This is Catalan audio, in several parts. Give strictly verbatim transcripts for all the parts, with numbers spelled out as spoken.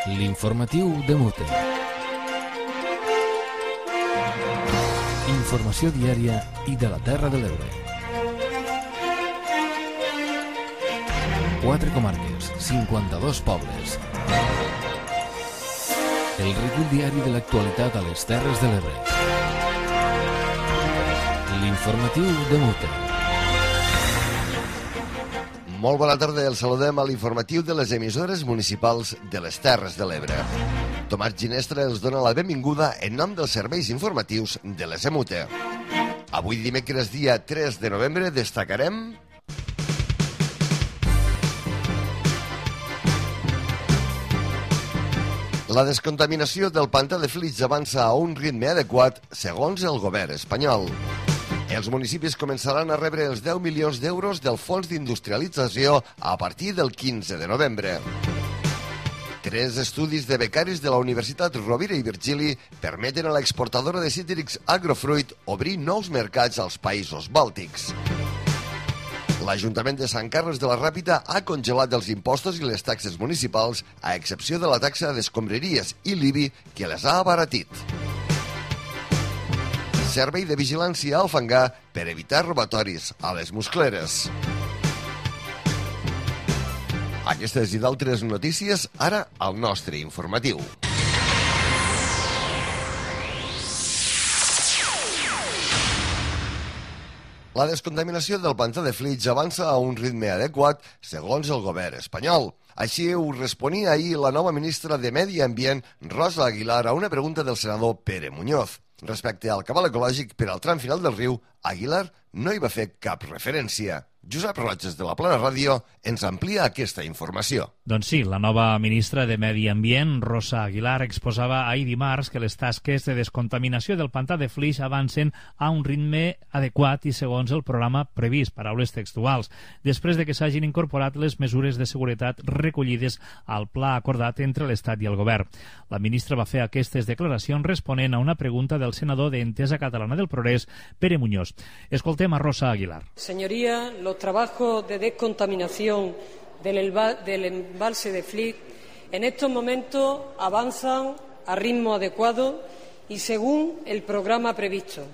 L'informatiu de Mute. Informació diària i de la Terra de l'Ebre. Quatre comarques, cinquanta-dos pobles. El recull diari de l'actualitat a les Terres de l'Ebre. L'informatiu de Mute. Molt bona tarda, el saludem a l'informatiu de les emissores municipals de les Terres de l'Ebre. Tomàs Ginestra els dona la benvinguda en nom dels serveis informatius de les EMUTE. Avui dimecres dia tres de novembre destacarem... La descontaminació del pantà de Flix avança a un ritme adequat segons el govern espanyol. Els municipis començaran a rebre els deu milions d'euros del Fons d'Industrialització a partir del quinze de novembre. Tres estudis de becaris de la Universitat Rovira i Virgili permeten a l'exportadora de cítrics Agrofruit obrir nous mercats als països bàltics. L'Ajuntament de Sant Carles de la Ràpita ha congelat els impostos i les taxes municipals, a excepció de la taxa d'escombraries i l'I B I, que les ha abaratit. Servei de vigilància al fangar per evitar robatoris a les muscleres. Aquestes i d'altres notícies ara al nostre informatiu. La descontaminació del pantà de Flix avança a un ritme adequat segons el govern espanyol. Així ho responia ahir la nova ministra de Medi Ambient, Rosa Aguilar, a una pregunta del senador Pere Muñoz. Respecte al cabal ecològic per al tram final del riu, Aguilar no hi va fer cap referència. Josep Roges, de la Plana Ràdio, ens amplia aquesta informació. Doncs sí, la nova ministra de Medi Ambient, Rosa Aguilar, exposava ahir dimarts que les tasques de descontaminació del pantà de Flix avancen a un ritme adequat i segons el programa previst, paraules textuals, després de que s'hagin incorporat les mesures de seguretat recollides al pla acordat entre l'Estat i el govern. La ministra va fer aquestes declaracions responent a una pregunta del senador d'Entesa Catalana del Progrés, Pere Muñoz. Escoltem a Rosa Aguilar. Señoría, los trabajos de descontaminación del, del embalse de Flix en estos momentos avanzan a ritmo adecuado y según el programa previsto,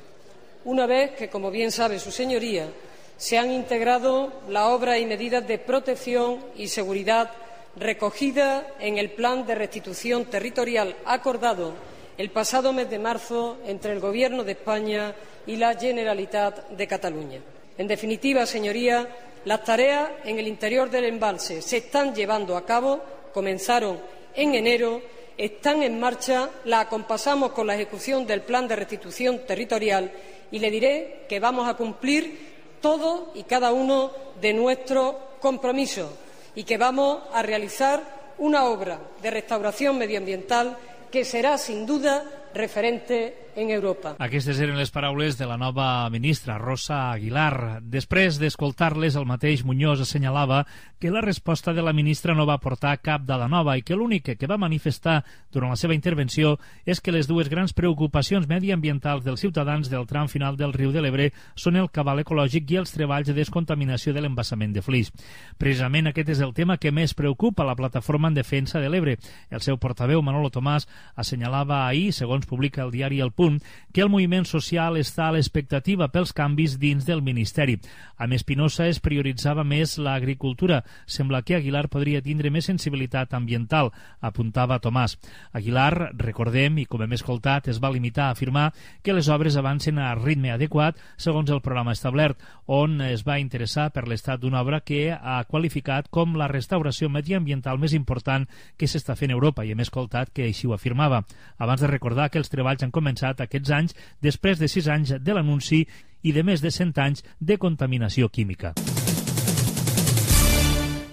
una vez que, como bien sabe su señoría, se han integrado las obras y medidas de protección y seguridad recogidas en el plan de restitución territorial acordado el pasado mes de marzo entre el Gobierno de España y la Generalitat de Cataluña. En definitiva, señoría, las tareas en el interior del embalse se están llevando a cabo, comenzaron en enero, están en marcha, la acompasamos con la ejecución del plan de restitución territorial y le diré que vamos a cumplir todos y cada uno de nuestros compromisos y que vamos a realizar una obra de restauración medioambiental que será, sin duda, referente en Europa. Aquestes eren les paraules de la nova ministra, Rosa Aguilar. Després d'escoltar-les, el mateix Muñoz assenyalava que la resposta de la ministra no va portar cap dada nova i que l'únic que va manifestar durant la seva intervenció és que les dues grans preocupacions mediambientals dels ciutadans del tram final del riu de l'Ebre són el cabal ecològic i els treballs de descontaminació de l'embassament de Flix. Precisament aquest és el tema que més preocupa la plataforma en defensa de l'Ebre. El seu portaveu, Manolo Tomàs, assenyalava ahir, segons publica el diari El Punt, que el moviment social està a l'expectativa pels canvis dins del Ministeri. Amb Espinosa es prioritzava més l'agricultura. Sembla que Aguilar podria tindre més sensibilitat ambiental, apuntava Tomàs. Aguilar, recordem, i com hem escoltat, es va limitar a afirmar que les obres avancen a ritme adequat segons el programa establert, on es va interessar per l'estat d'una obra que ha qualificat com la restauració mediambiental més important que s'està fent a Europa, i hem escoltat que així ho afirmava. Abans de recordar que els treballs han començat aquests anys després de sis anys de l'anunci i de més de cent anys de contaminació química.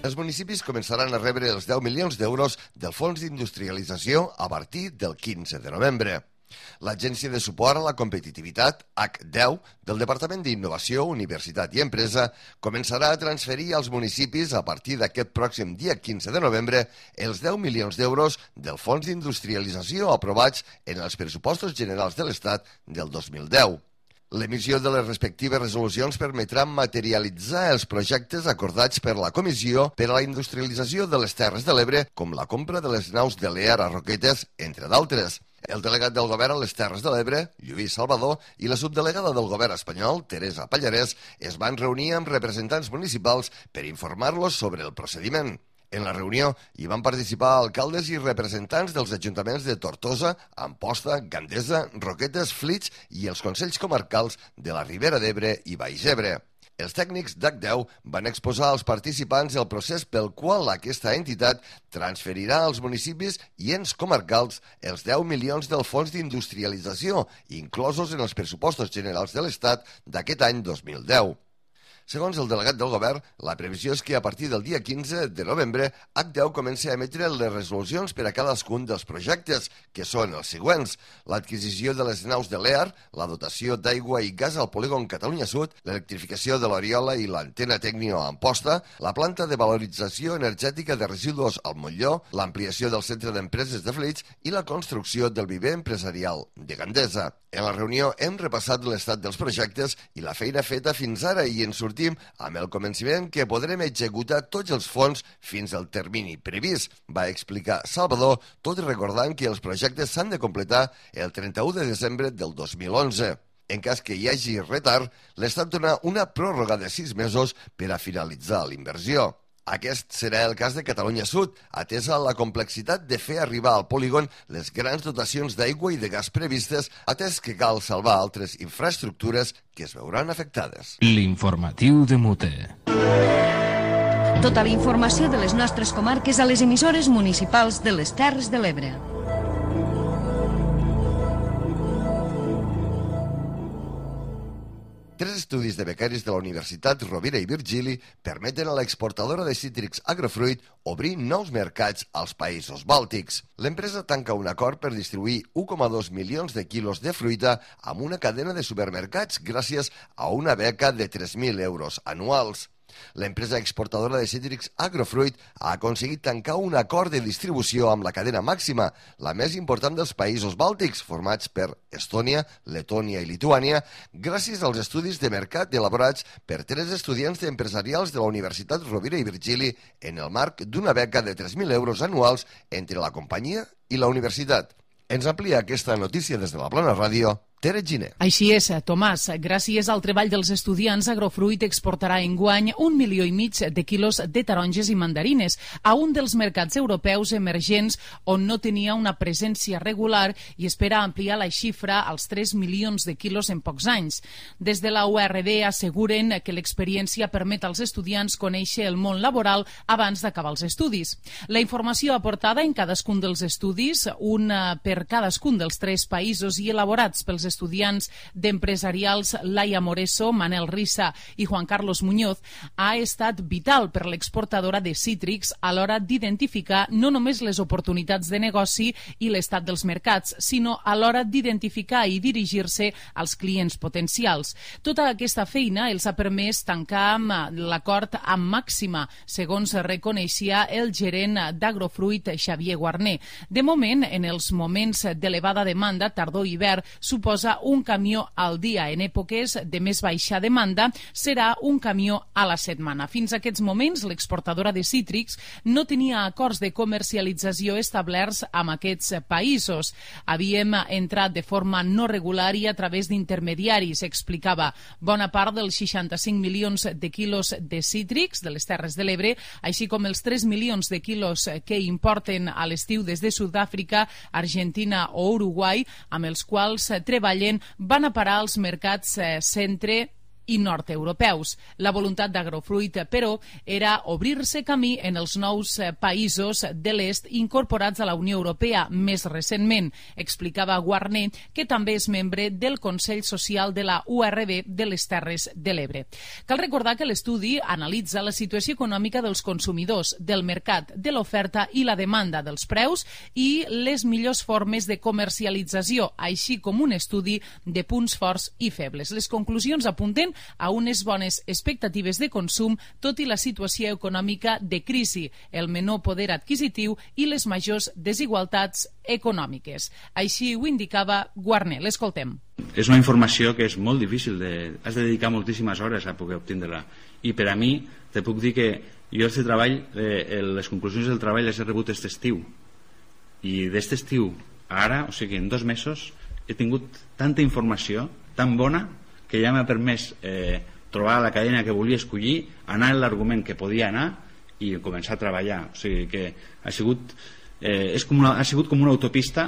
Els municipis començaran a rebre els deu milions d'euros del Fons d'Industrialització a partir del quinze de novembre. L'Agència de Suport a la Competitivitat, H deu, del Departament d'Innovació, Universitat i Empresa, començarà a transferir als municipis a partir d'aquest pròxim dia quinze de novembre els deu milions d'euros del Fons d'Industrialització aprovats en els pressupostos generals de l'Estat del dos mil deu. L'emissió de les respectives resolucions permetrà materialitzar els projectes acordats per la Comissió per a la Industrialització de les Terres de l'Ebre, com la compra de les naus de l'E A R a Roquetes, entre d'altres. El delegat del govern a les Terres de l'Ebre, Lluís Salvador, i la subdelegada del govern espanyol, Teresa Pallarès, es van reunir amb representants municipals per informar-los sobre el procediment. En la reunió hi van participar alcaldes i representants dels ajuntaments de Tortosa, Amposta, Gandesa, Roquetes, Flix i els consells comarcals de la Ribera d'Ebre i Baix Ebre. Els tècnics d'H deu van exposar als participants el procés pel qual aquesta entitat transferirà als municipis i ens comarcals els deu milions del Fons d'Industrialització, inclosos en els pressupostos generals de l'Estat d'aquest any dos mil deu. Segons el delegat del govern, la previsió és que a partir del dia quinze de novembre H deu comença a emetre les resolucions per a cadascun dels projectes, que són els següents: l'adquisició de les naus de l'E A R, la dotació d'aigua i gas al polígon Catalunya Sud, l'electrificació de l'Oriola i l'antena Tecnio a Amposta, la planta de valorització energètica de residus al Montlló, l'ampliació del centre d'empreses de Flix i la construcció del viver empresarial de Gandesa. En la reunió hem repassat l'estat dels projectes i la feina feta fins ara i en sortim amb el convenciment que podrem executar tots els fons fins al termini previst, va explicar Salvador, tot recordant que els projectes s'han de completar el trenta-u de desembre del dos mil onze. En cas que hi hagi retard, l'Estat dona una pròrroga de sis mesos per a finalitzar l'inversió. Aquest serà el cas de Catalunya Sud, atesa la complexitat de fer arribar al polígon les grans dotacions d'aigua i de gas previstes, atès que cal salvar altres infraestructures que es veuran afectades. L'informatiu de Mute. Tota la informació de les nostres comarques a les emissores municipals de les Terres de l'Ebre. Tres estudis de becaris de la Universitat Rovira i Virgili permeten a l'exportadora de cítrics Agrofruit obrir nous mercats als països bàltics. L'empresa tanca un acord per distribuir un coma dos milions de quilos de fruita amb una cadena de supermercats gràcies a una beca de tres mil euros anuals. L'empresa exportadora de cítrics Agrofruit ha aconseguit tancar un acord de distribució amb la cadena màxima, la més important dels països bàltics, formats per Estònia, Letònia i Lituània, gràcies als estudis de mercat elaborats per tres estudiants empresarials de la Universitat Rovira i Virgili en el marc d'una beca de tres mil euros anuals entre la companyia i la universitat. Ens amplia aquesta notícia des de la Plana Ràdio, Tere Giner. Així és, Tomàs. Gràcies al treball dels estudiants, Agrofruit exportarà enguany un milió i mig de quilos de taronges i mandarines a un dels mercats europeus emergents on no tenia una presència regular i espera ampliar la xifra als tres milions de quilos en pocs anys. Des de la U R D asseguren que l'experiència permet als estudiants conèixer el món laboral abans d'acabar els estudis. La informació aportada en cadascun dels estudis, una per cadascun dels tres països i elaborats pels estudiants d'empresarials Laia Moreso, Manel Rissa i Juan Carlos Muñoz, ha estat vital per l'exportadora de cítrics a l'hora d'identificar no només les oportunitats de negoci i l'estat dels mercats, sinó a l'hora d'identificar i dirigir-se als clients potencials. Tota aquesta feina els ha permès tancar l'acord amb Màxima, segons reconeixia el gerent d'Agrofruit, Xavier Guarner. De moment, en els moments d'elevada demanda, tardor i hivern, suposa un camió al dia. En èpoques de més baixa demanda serà un camió a la setmana. Fins a aquests moments, l'exportadora de cítrics no tenia acords de comercialització establerts amb aquests països. Havíem entrat de forma no regular i a través d'intermediaris, explicava. Bona part dels seixanta-cinc milions de quilos de cítrics de les Terres de l'Ebre, així com els tres milions de quilos que importen a l'estiu des de Sud-àfrica, Argentina o Uruguai, amb els quals treballen, van a parar als mercats eh, centre i nord-europeus. La voluntat d'Agrofruit, però, era obrir-se camí en els nous països de l'est incorporats a la Unió Europea més recentment, explicava Guarner, que també és membre del Consell Social de la U R B de les Terres de l'Ebre. Cal recordar que l'estudi analitza la situació econòmica dels consumidors, del mercat, de l'oferta i la demanda dels preus i les millors formes de comercialització, així com un estudi de punts forts i febles. Les conclusions apunten responen a unes bones expectatives de consum, tot i la situació econòmica de crisi, el menor poder adquisitiu i les majors desigualtats econòmiques. Així ho indicava Guarner. L'escoltem. És una informació que és molt difícil, de, has de dedicar moltíssimes hores a poder obtindre-la. I per a mi, te puc dir que jo aquest treball, eh, les conclusions del treball les he rebut aquest estiu. I d'aquest estiu a ara, o sigui, en dos mesos, he tingut tanta informació, tan bona, que ja m'ha permès eh, trobar la cadena que volia escollir, anar en l'argument que podia anar i començar a treballar. O sigui que ha sigut, eh, és com una, ha sigut com una autopista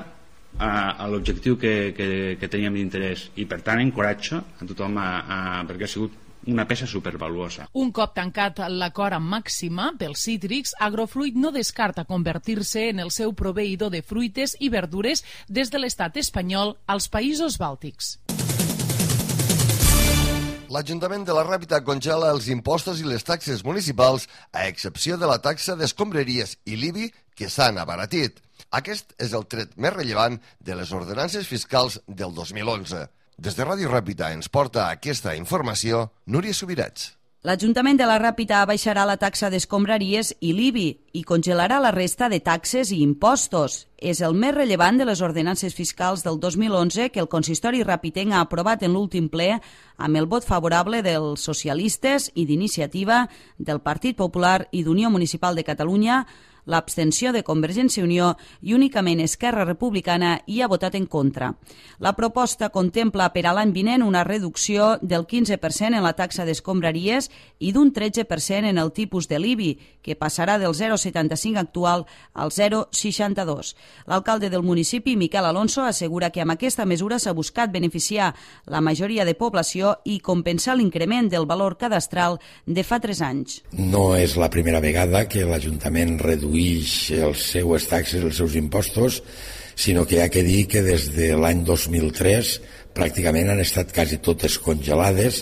a, a l'objectiu que, que, que teníem d'interès, i per tant encoratjo a tothom a, a, perquè ha sigut una peça supervaluosa. Un cop tancat l'acord amb Màxima pels cítrics, Agrofruit no descarta convertir-se en el seu proveïdor de fruites i verdures des de l'estat espanyol als països bàltics. L'Ajuntament de la Ràpita congela els impostos i les taxes municipals, a excepció de la taxa d'escombraries i l'I B I, que s'han abaratit. Aquest és el tret més rellevant de les ordenances fiscals del dos mil onze. Des de Ràdio Ràpita ens porta aquesta informació Núria Subirats. L'Ajuntament de la Ràpita abaixarà la taxa d'escombraries i l'I B I i congelarà la resta de taxes i impostos. És el més rellevant de les ordenances fiscals del dos mil onze que el consistori ràpitenc ha aprovat en l'últim ple amb el vot favorable dels socialistes i d'Iniciativa, del Partit Popular i d'Unió Municipal de Catalunya, l'abstenció de Convergència i Unió i únicament Esquerra Republicana hi ha votat en contra. La proposta contempla per a l'any vinent una reducció del quinze per cent en la taxa d'escombraries i d'un tretze per cent en el tipus de l'I B I, que passarà del zero coma setanta-cinc actual al zero coma seixanta-dos. L'alcalde del municipi, Miquel Alonso, assegura que amb aquesta mesura s'ha buscat beneficiar la majoria de població i compensar l'increment del valor cadastral de fa tres anys. No és la primera vegada que l'Ajuntament redueix les seues taxes, els seus impostos, sinó que hi ha que dir que des de l'any dos mil tres pràcticament han estat quasi totes congelades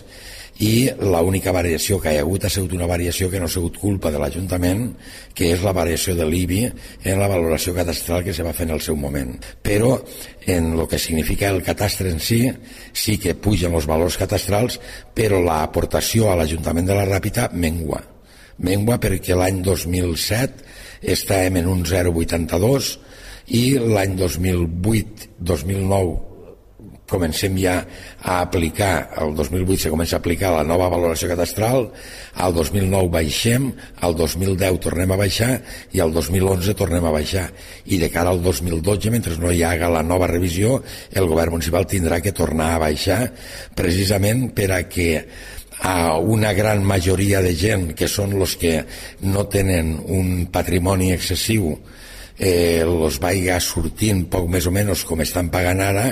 i l'única variació que hi ha hagut ha sigut una variació que no ha sigut culpa de l'Ajuntament, que és la variació de l'I B I en la valoració cadastral que se va fer en el seu moment. Però en el que significa el catastre en si, sí que pugen els valors cadastrals, però l'aportació a l'Ajuntament de la Ràpita mengua. Mengua perquè l'any dos mil set estàvem en un zero coma vuitanta-dos i l'any dos mil vuit dos mil nou comencem ja a aplicar, el dos mil vuit se comença a aplicar la nova valoració cadastral, al dos mil nou baixem, al dos mil deu tornem a baixar i al dos mil onze tornem a baixar. I de cara al dos mil dotze, mentre no hi haga la nova revisió, el govern municipal tindrà que tornar a baixar precisament per a que a una gran majoria de gent que són els que no tenen un patrimoni excessiu eh, els vaiga sortint poc més o menys com estan pagant ara.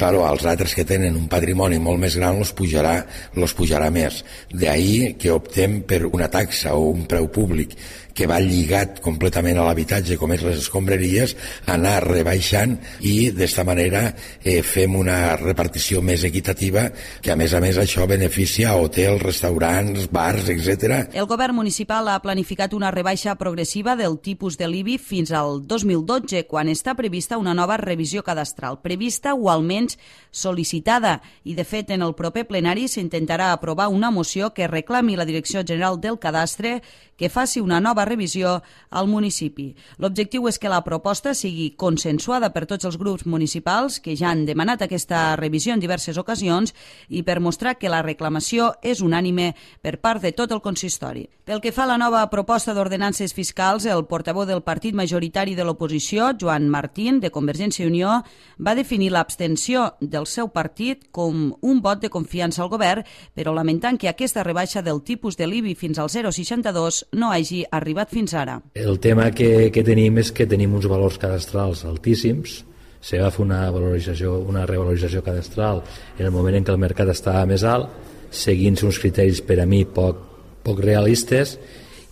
Claro, als altres que tenen un patrimoni molt més gran els pujarà, els pujarà més. D'ahí que optem per una taxa o un preu públic que va lligat completament a l'habitatge, com és les escombraries, anar rebaixant i d'esta manera eh, fem una repartició més equitativa que a més a més això beneficia a hotels, restaurants, bars, etcètera. El govern municipal ha planificat una rebaixa progressiva del tipus de l'I B I fins al dos mil dotze, quan està prevista una nova revisió cadastral, prevista o almenys sol·licitada, i de fet en el proper plenari s'intentarà aprovar una moció que reclami la Direcció General del Cadastre que faci una nova revisió al municipi. L'objectiu és que la proposta sigui consensuada per tots els grups municipals que ja han demanat aquesta revisió en diverses ocasions i per mostrar que la reclamació és unànime per part de tot el consistori. Pel que fa a la nova proposta d'ordenances fiscals, el portaveu del partit majoritari de l'oposició, Joan Martín, de Convergència i Unió, va definir l'abstenció del seu partit com un vot de confiança al govern, però lamentant que aquesta rebaixa del tipus de l'I B I fins al zero coma seixanta-dos no hagi arribat fins ara. El tema que, que tenim és que tenim uns valors cadastrals altíssims. Se va fer una valorització, una revalorització cadastral en el moment en què el mercat estava més alt, seguint uns criteris per a mi poc, poc realistes,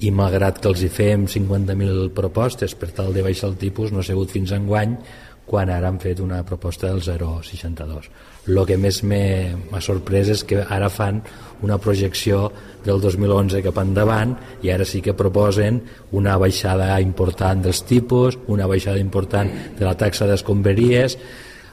i malgrat que els hi fem cinquanta mil propostes per tal de baixar el tipus, no ha sigut fins enguany, quan ara han fet una proposta del zero coma seixanta-dos. El que més m'ha sorprès és que ara fan una projecció del dos mil onze cap endavant i ara sí que proposen una baixada important dels tipus, una baixada important de la taxa d'escombraries.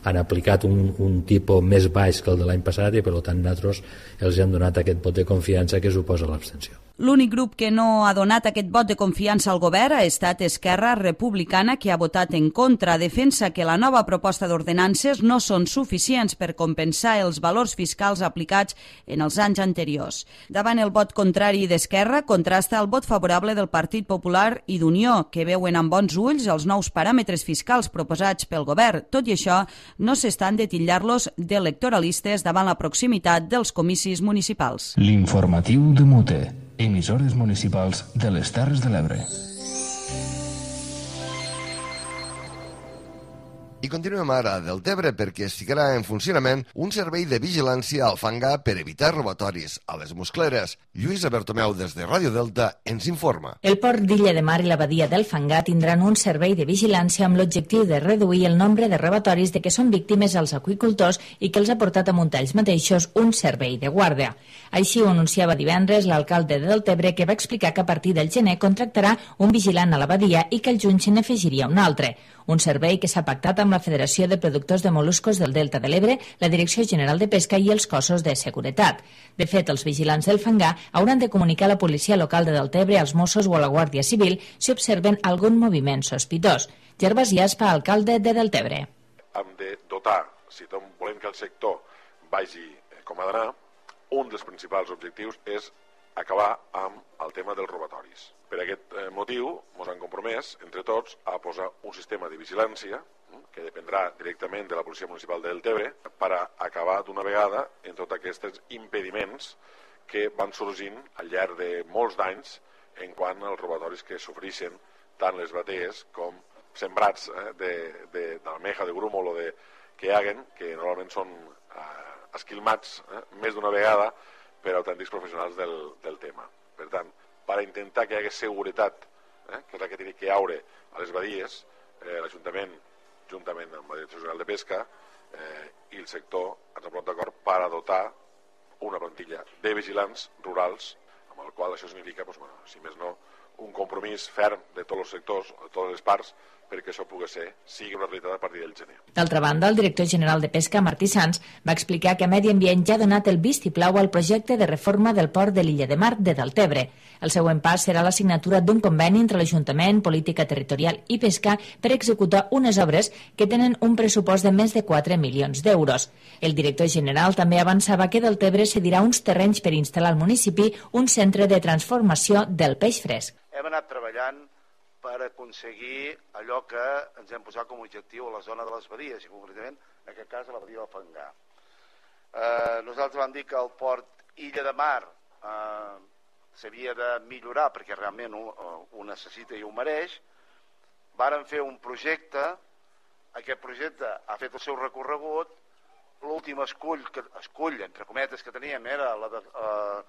han aplicat un, un tipus més baix que el de l'any passat i per tant nosaltres els hem donat aquest vot de confiança que suposa l'abstenció. L'únic grup que no ha donat aquest vot de confiança al govern ha estat Esquerra Republicana, que ha votat en contra. Defensa que la nova proposta d'ordenances no són suficients per compensar els valors fiscals aplicats en els anys anteriors. Davant el vot contrari d'Esquerra, contrasta el vot favorable del Partit Popular i d'Unió, que veuen amb bons ulls els nous paràmetres fiscals proposats pel govern. Tot i això, no s'estan de titllar-los d'electoralistes davant la proximitat dels comicis municipals. L'informatiu de Mute. Emissores municipals de les Terres de l'Ebre. I continuem ara del Tebre perquè es ficarà en funcionament un servei de vigilància al fangar per evitar robatoris a les muscleres. Lluïsa Bertomeu, des de Ràdio Delta, ens informa. El port d'Illa de Mar i la badia del Fangar tindran un servei de vigilància amb l'objectiu de reduir el nombre de robatoris de què són víctimes els aqüicultors i que els ha portat a muntar ells mateixos un servei de guàrdia. Així ho anunciava divendres l'alcalde de Deltebre, que va explicar que a partir del gener contractarà un vigilant a la badia i que el juny se n'afegiria un altre. Un servei que s'ha pactat amb la Federació de Productors de Moluscos del Delta de l'Ebre, la Direcció General de Pesca i els cossos de seguretat. De fet, els vigilants del fangar hauran de comunicar a la policia local de Deltebre, als Mossos o a la Guàrdia Civil si observen algun moviment sospitós. Gervasi Aspa, alcalde de Deltebre. Hem de dotar, si volem que el sector vagi com ha d'anar, un dels principals objectius és acabar amb el tema dels robatoris. Per aquest motiu, ens hem compromès, entre tots, a posar un sistema de vigilància que dependrà directament de la Policia Municipal de Deltebre per a acabar d'una vegada en tots aquests impediments que van sorgint al llarg de molts d'anys en quant als robatoris que sofreixen tant les batees com sembrats eh, d'almeja, de, de grúmol o de que hi haguen, que normalment són eh, esquilmats eh, més d'una vegada per autèntics professionals del, del tema. Per tant, per intentar que hi hagi seguretat, eh, que és la que té que hi haure a les badies, eh, l'Ajuntament, juntament amb la Direcció General de Pesca eh, i el sector, ens han posat d'acord per a dotar una plantilla de vigilants rurals, amb el qual això significa, doncs, bueno, si més no, un compromís ferm de tots els sectors, de totes les parts, perquè això pugui ser, sigui una realitat a partir del gener. D'altra banda, el director general de Pesca, Martí Sans, va explicar que Medi Ambient ja ha donat el vistiplau al projecte de reforma del port de l'Illa de Mar de Deltebre. El següent pas serà la signatura d'un conveni entre l'Ajuntament, Política Territorial i Pesca per executar unes obres que tenen un pressupost de més de quatre milions d'euros. El director general també avançava que Deltebre cedirà uns terrenys per instal·lar al municipi un centre de transformació del peix fresc. Hem anat treballant per aconseguir allò que ens hem posat com a objectiu a la zona de les badies, i concretament, en aquest cas, a la badia del Fangar. Eh, nosaltres vam dir que el port Illa de Mar eh, s'havia de millorar perquè realment ho, ho necessita i ho mereix. Varen fer un projecte, aquest projecte ha fet el seu recorregut, l'últim escull, que, escull, entre cometes, que teníem era la de, eh,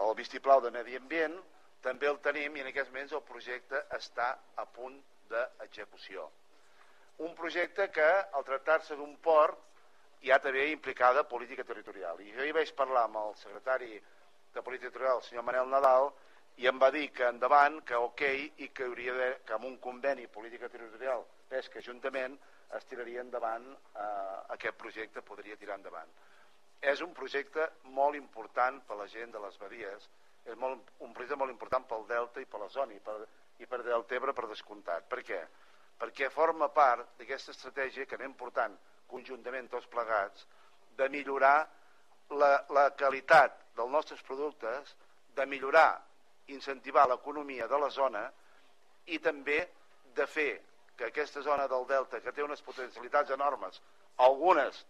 el vistiplau de Medi Ambient, també el tenim i en aquests moments el projecte està a punt d'execució. Un projecte que, al tractar-se d'un port, ja també implicada política territorial. I jo hi vaig parlar amb el secretari de Política Territorial, el senyor Manel Nadal, i em va dir que endavant, que ok, i que hauria de, que amb un conveni política territorial, pesca, ajuntament, es tiraria endavant eh, aquest projecte, podria tirar endavant. És un projecte molt important per la gent de les badies, és molt, un projecte molt important pel Delta i per la zona i per, i per Deltebre per descomptat. Per què? Perquè forma part d'aquesta estratègia que anem portant conjuntament tots plegats de millorar la, la qualitat dels nostres productes, de millorar, incentivar l'economia de la zona i també de fer que aquesta zona del Delta, que té unes potencialitats enormes, algunes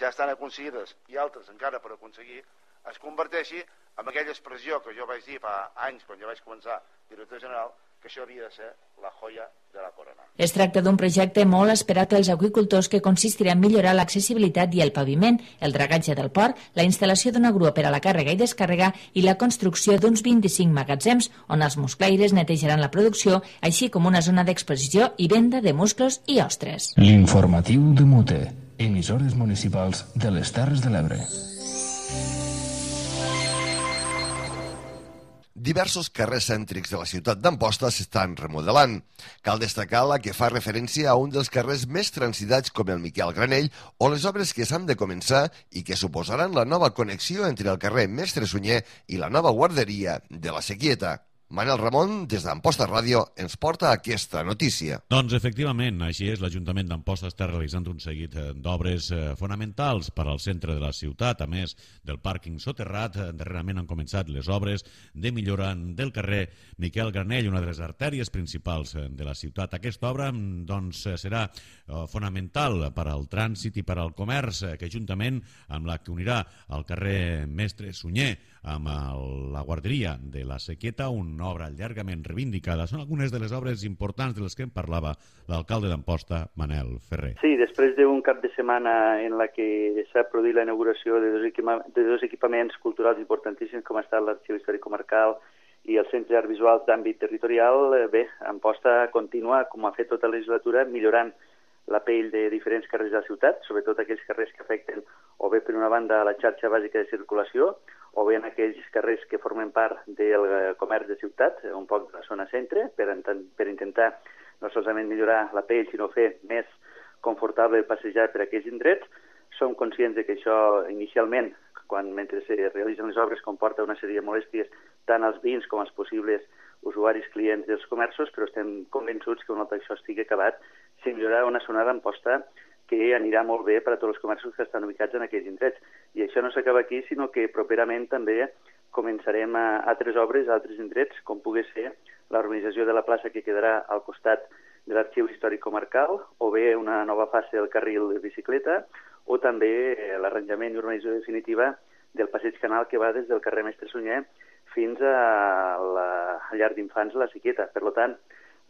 ja estan aconseguides i altres encara per aconseguir, es converteixi en aquella expressió que jo vaig dir fa anys, quan jo vaig començar director general, que això havia de ser la joia de la corona. Es tracta d'un projecte molt esperat pels aqüicultors que consistirà en millorar l'accessibilitat i el paviment, el dragatge del port, la instal·lació d'una grua per a la càrrega i descàrrega i la construcció d'uns vint-i-cinc magatzems on els musclaires netejaran la producció, així com una zona d'exposició i venda de musclos i ostres. L'informatiu de Mute, emissores municipals de les Terres de l'Ebre. diversos carrers cèntrics de la ciutat d'Amposta s'estan remodelant. Cal destacar la que fa referència a un dels carrers més transitats com el Miquel Granell o les obres que s'han de començar i que suposaran la nova connexió entre el carrer Mestre Sunyer i la nova guarderia de la Sequieta. Manel Ramon, des d'Amposta Ràdio, ens porta aquesta notícia. Doncs efectivament, així és, l'Ajuntament d'Amposta està realitzant un seguit d'obres fonamentals per al centre de la ciutat, a més del pàrquing soterrat. Darrerament han començat les obres de millora del carrer Miquel Granell, una de les artèries principals de la ciutat. Aquesta obra doncs, serà fonamental per al trànsit i per al comerç, que juntament amb la que unirà el carrer Mestre Sunyer amb el, la guarderia de la Sequieta, una obra llargament reivindicada. Són algunes de les obres importants de les que en parlava l'alcalde d'Amposta, Manel Ferrer. Sí, després d'un cap de setmana en la que s'ha produït la inauguració de dos, equipa de dos equipaments culturals importantíssims com ha estat l'Arxiu Històric Comarcal i el Centre d'Arts Visuals d'àmbit territorial, bé, Amposta continua, com ha fet tota la legislatura, millorant la pell de diferents carrers de la ciutat, sobretot aquells carrers que afecten o bé per una banda la xarxa bàsica de circulació o bé en aquells carrers que formen part del comerç de ciutat, un poc de la zona centre, per, per intentar no solament millorar la pell, sinó fer més confortable passejar per aquells indrets. Som conscients de que això inicialment, quan mentre se realitzen les obres, comporta una sèrie de molèsties tant als veïns com als possibles usuaris clients dels comerços, però estem convençuts que un cop això estigui acabat, se millorarà una zona d'Amposta que anirà molt bé per a tots els comerços que estan ubicats en aquells indrets. I això no s'acaba aquí, sinó que properament també començarem a altres obres, a altres indrets, com pugui ser la urbanització de la plaça que quedarà al costat de l'Arxiu Històric Comarcal, o bé una nova fase del carril de bicicleta, o també l'arranjament i urbanització definitiva del passeig canal que va des del carrer Mestre Sunyer fins a la llar d'infants La Sequieta. Per tant,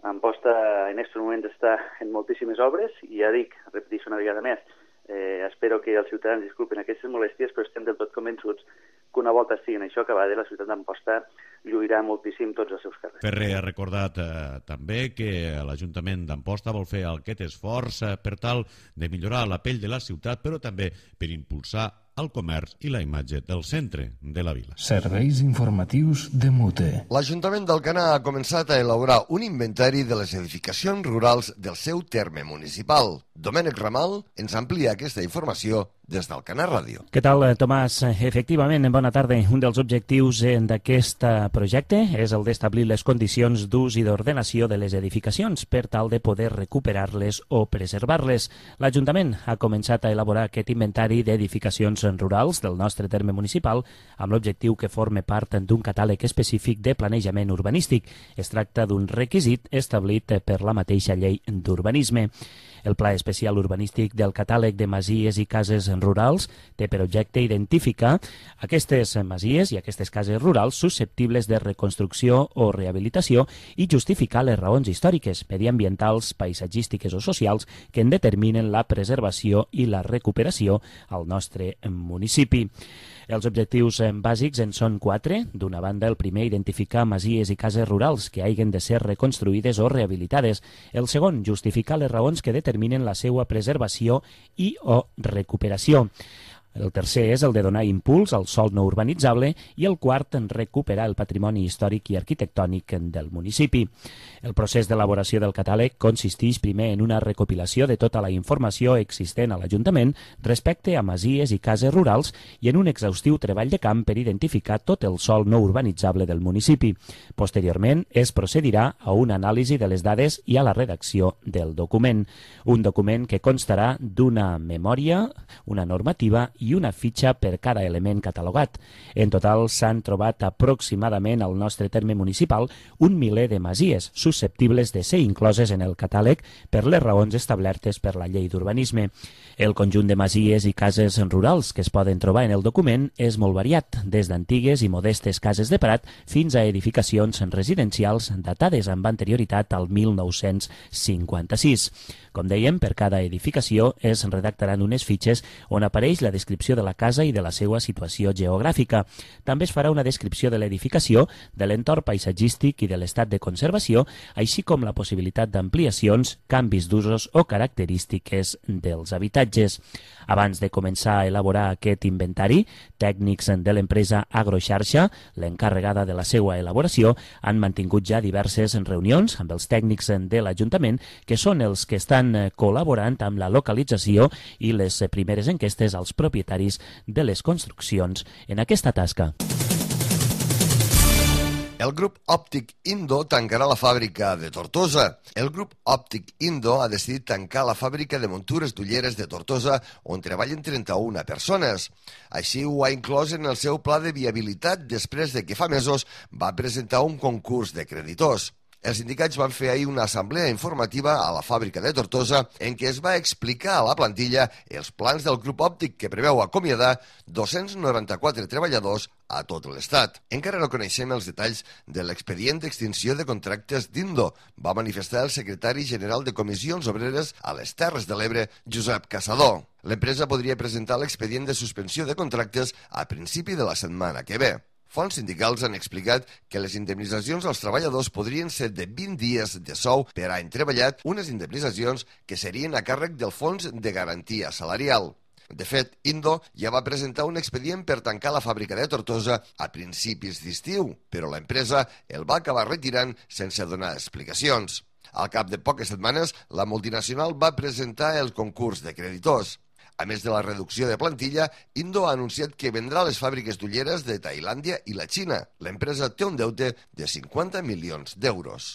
Amposta en aquest moment està en moltíssimes obres i ja dic, repeteixo una vegada més, eh, espero que els ciutadans disculpen aquestes molèsties, però estem del tot convençuts que una volta estiguin això acabada, la ciutat d'Amposta lluirà moltíssim tots els seus carrers. Ferrer ha recordat eh, també que l'Ajuntament d'Amposta vol fer aquest esforç eh, per tal de millorar la pell de la ciutat, però també per impulsar el comerç i la imatge del centre de la vila. Serveis informatius de Mute. L'Ajuntament d'Alcanar ha començat a elaborar un inventari de les edificacions rurals del seu terme municipal. Domènec Ramal ens amplia aquesta informació des d'Alcanar Ràdio. Què tal, Tomàs? Efectivament, bona tarda. Un dels objectius d'aquest projecte és el d'establir les condicions d'ús i d'ordenació de les edificacions per tal de poder recuperar-les o preservar-les. L'Ajuntament ha començat a elaborar aquest inventari d'edificacions rurals del nostre terme municipal amb l'objectiu que forme part d'un catàleg específic de planejament urbanístic. Es tracta d'un requisit establit per la mateixa llei d'urbanisme. El Pla Especial Urbanístic del Catàleg de Masies i Cases Rurals té per objecte identificar aquestes masies i aquestes cases rurals susceptibles de reconstrucció o rehabilitació i justificar les raons històriques, mediambientals, paisatgístiques o socials que en determinen la preservació i la recuperació al nostre municipi. Els objectius bàsics en són quatre. D'una banda, el primer, identificar masies i cases rurals que hagin de ser reconstruïdes o rehabilitades. El segon, justificar les raons que determinen la seva preservació i o recuperació. El tercer és el de donar impuls al sòl no urbanitzable i el quart, en recuperar el patrimoni històric i arquitectònic del municipi. El procés d'elaboració del catàleg consisteix primer en una recopilació de tota la informació existent a l'Ajuntament respecte a masies i cases rurals i en un exhaustiu treball de camp per identificar tot el sòl no urbanitzable del municipi. Posteriorment, es procedirà a una anàlisi de les dades i a la redacció del document. Un document que constarà d'una memòria, una normativa i una fitxa per cada element catalogat. En total s'han trobat aproximadament al nostre terme municipal un miler de masies susceptibles de ser incloses en el catàleg per les raons establertes per la llei d'urbanisme. El conjunt de masies i cases rurals que es poden trobar en el document és molt variat, des d'antigues i modestes cases de prat fins a edificacions residencials datades amb anterioritat al mil nou-cents cinquanta-sis. Com dèiem, per cada edificació es redactaran unes fitxes on apareix la descripció de la casa i de la seva situació geogràfica. També es farà una descripció de l'edificació, de l'entorn paisatgístic i de l'estat de conservació, així com la possibilitat d'ampliacions, canvis d'usos o característiques dels habitatges. Abans de començar a elaborar aquest inventari, Tècnics de l'empresa Agroxarxa, l'encarregada de la seva elaboració, han mantingut ja diverses reunions amb els tècnics de l'Ajuntament, que són els que estan col·laborant amb la localització i les primeres enquestes als propietaris de les construccions en aquesta tasca. El grup òptic Indo tancarà la fàbrica de Tortosa. El grup òptic Indo ha decidit tancar la fàbrica de muntures d'ulleres de Tortosa, on treballen trenta-una persones. Així ho ha inclòs en el seu pla de viabilitat després de que fa mesos va presentar un concurs de creditors. Els sindicats van fer ahir una assemblea informativa a la fàbrica de Tortosa en què es va explicar a la plantilla els plans del grup òptic que preveu acomiadar dos-cents noranta-quatre treballadors a tot l'Estat. Encara no coneixem els detalls de l'expedient d'extinció de contractes d'Indo, va manifestar el secretari general de Comissions Obreres a les Terres de l'Ebre, Josep Caçador. L'empresa podria presentar l'expedient de suspensió de contractes a principi de la setmana que ve. Fonts sindicals han explicat que les indemnitzacions als treballadors podrien ser de vint dies de sou per any treballat, unes indemnitzacions que serien a càrrec del Fons de Garantia Salarial. De fet, Indo ja va presentar un expedient per tancar la fàbrica de Tortosa a principis d'estiu, però l'empresa el va acabar retirant sense donar explicacions. Al cap de poques setmanes, la multinacional va presentar el concurs de creditors. A més de la reducció de plantilla, Indo ha anunciat que vendrà les fàbriques d'ulleres de Tailàndia i la Xina. L'empresa té un deute de cinquanta milions d'euros.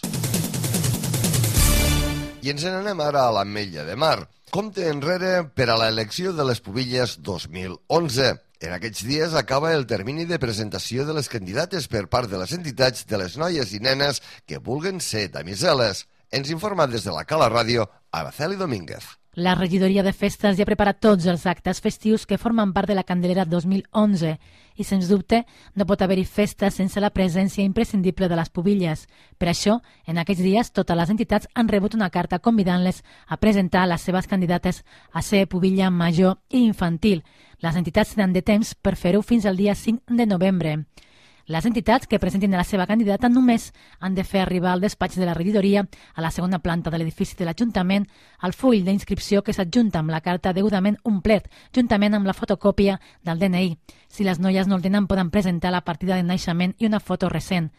I ens n'anem ara a l'Ametlla de Mar. Compte enrere per a l'elecció de les Pubilles dos mil onze. En aquests dies acaba el termini de presentació de les candidates per part de les entitats de les noies i nenes que vulguen ser damiseles. Ens informa des de la Cala Ràdio, Araceli Domínguez. La regidoria de festes ja ha preparat tots els actes festius que formen part de la Candelera dos mil onze i, sens dubte, no pot haver-hi festa sense la presència imprescindible de les pubilles. Per això, en aquests dies, totes les entitats han rebut una carta convidant-les a presentar les seves candidates a ser pubilla major i infantil. Les entitats tenen de temps per fer-ho fins al dia cinc de novembre. Les entitats que presentin la seva candidata només han de fer arribar al despatx de la regidoria a la segona planta de l'edifici de l'Ajuntament el full d'inscripció que s'adjunta amb la carta degudament omplet, juntament amb la fotocòpia del D N I. Si les noies no el tenen, poden presentar la partida de naixement i una foto recent.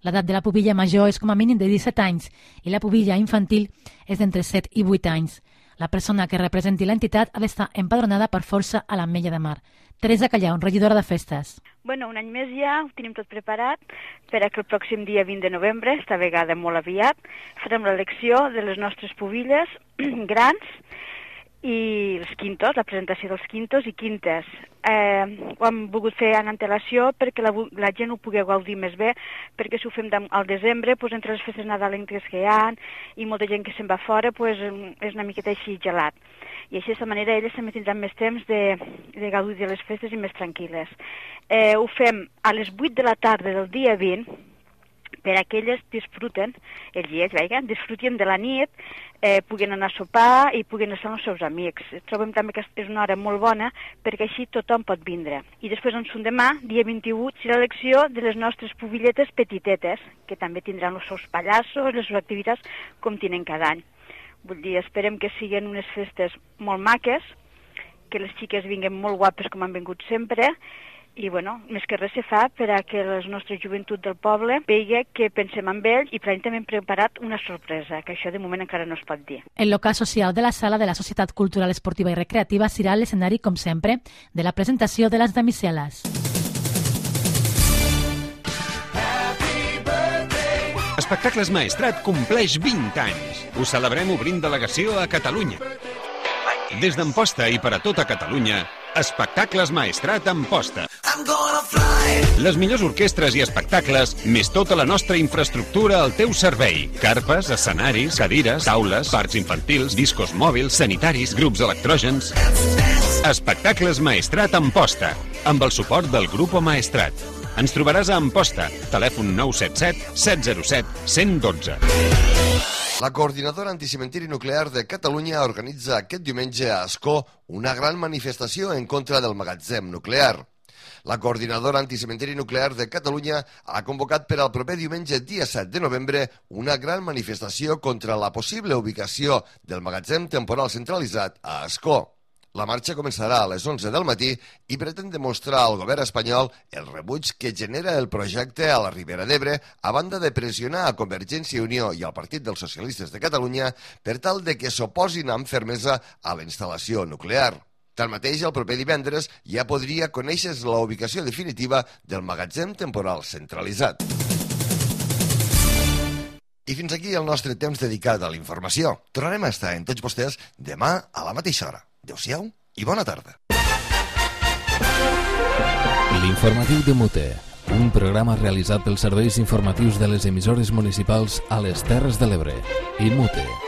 L'edat de la pubilla major és com a mínim de disset anys i la pubilla infantil és d'entre set i vuit anys. La persona que representi l'entitat ha d'estar empadronada per força a l'Ametlla de Mar. Teresa Callau, regidora de festes. Bueno, un any més ja ho tenim tot preparat per a que el pròxim dia vint de novembre, esta vegada molt aviat, farem l'elecció de les nostres pubilles grans i els quintos, la presentació dels quintos i quintes. Eh, ho hem volgut fer en antelació perquè la, la gent ho pugui gaudir més bé, perquè si ho fem al desembre, pues, entre les festes nadalenques que hi ha i molta gent que se'n va fora, pues, és una miqueta així gelat. I així, d'aquesta manera, elles també tindran més temps de, de gaudir de les festes i més tranquil·les. Eh, ho fem a les vuit de la tarda del dia vint, per a que elles disfruten, ells i ells, veia, disfruten de la nit, eh, puguen anar a sopar i puguen estar amb els seus amics. Trobem també que és una hora molt bona perquè així tothom pot vindre. I després, en son demà, dia vint-i-vuit, serà l'elecció de les nostres pubilletes petitetes, que també tindran els seus pallassos, les seves activitats, com tenen cada any. Vull dir, esperem que siguin unes festes molt maques, que les xiques vinguen molt guapes com han vingut sempre, i, bueno, més que res se fa per a que la nostra joventut del poble vegi que pensem en ell i per a també hem preparat una sorpresa, que això de moment encara no es pot dir. El local social de la sala de la Societat Cultural Esportiva i Recreativa serà l'escenari, com sempre, de la presentació de les damiseles. Espectacles Maestrat compleix vint anys. Ho celebrem obrint delegació a Catalunya. Des d'Amposta i per a tota Catalunya, Espectacles Maestrat Amposta. Les millors orquestres i espectacles, més tota la nostra infraestructura al teu servei. Carpes, escenaris, cadires, taules, parcs infantils, discos mòbils, sanitaris, grups electrògens. Espectacles Maestrat Amposta, amb el suport del Grupo Maestrat. Ens trobaràs a Amposta, telèfon nou set set, set zero set, un un dos. La Coordinadora Anticementiri Nuclear de Catalunya organitza aquest diumenge a Ascó una gran manifestació en contra del magatzem nuclear. La Coordinadora Anticementiri Nuclear de Catalunya ha convocat per al proper diumenge, dia set de novembre, una gran manifestació contra la possible ubicació del magatzem temporal centralitzat a Ascó. La marxa començarà a les onze del matí i pretén demostrar al govern espanyol el rebuig que genera el projecte a la Ribera d'Ebre, a banda de pressionar a Convergència i Unió i al Partit dels Socialistes de Catalunya per tal de que s'oposin amb fermesa a la instal·lació nuclear. Tanmateix, el proper divendres ja podria conèixer la ubicació definitiva del magatzem temporal centralitzat. I fins aquí el nostre temps dedicat a la informació. Tornarem a estar en tots vostès demà a la mateixa hora. Adéu-siau i bona tarda. L'informatiu de Mute, un programa realitzat pels serveis informatius de les emissores municipals a les Terres de l'Ebre i Mute.